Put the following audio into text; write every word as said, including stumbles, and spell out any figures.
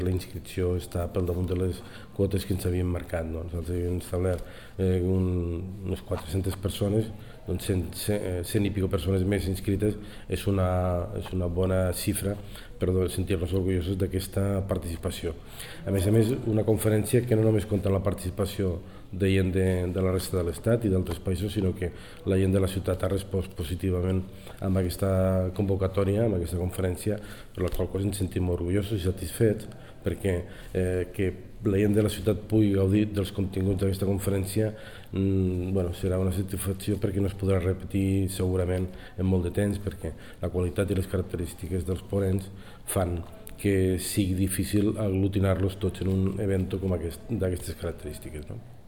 La inscripció està pel damunt de les quotes que ens havíem marcat. No? Nosaltres havíem establert eh, un, unes quatre-centes persones, doncs cent, cent i pico persones més inscrites és una, és una bona xifra per sentir-nos orgullosos d'aquesta participació. A més a més, una conferència que no només compta la participació de gent de, de la resta de l'Estat i d'altres països, sinó que la gent de la ciutat ha respost positivament amb aquesta convocatòria, amb aquesta conferència, per la qual cosa ens sentim orgullosos i satisfets, perquè eh, que la gent de la ciutat pugui gaudir dels continguts d'aquesta conferència mmm, bueno, serà una satisfacció perquè no es podrà repetir segurament en molt de temps, perquè la qualitat i les característiques dels ponents fan que sigui difícil aglutinar-los tots en un event com aquest, d'aquestes característiques. No?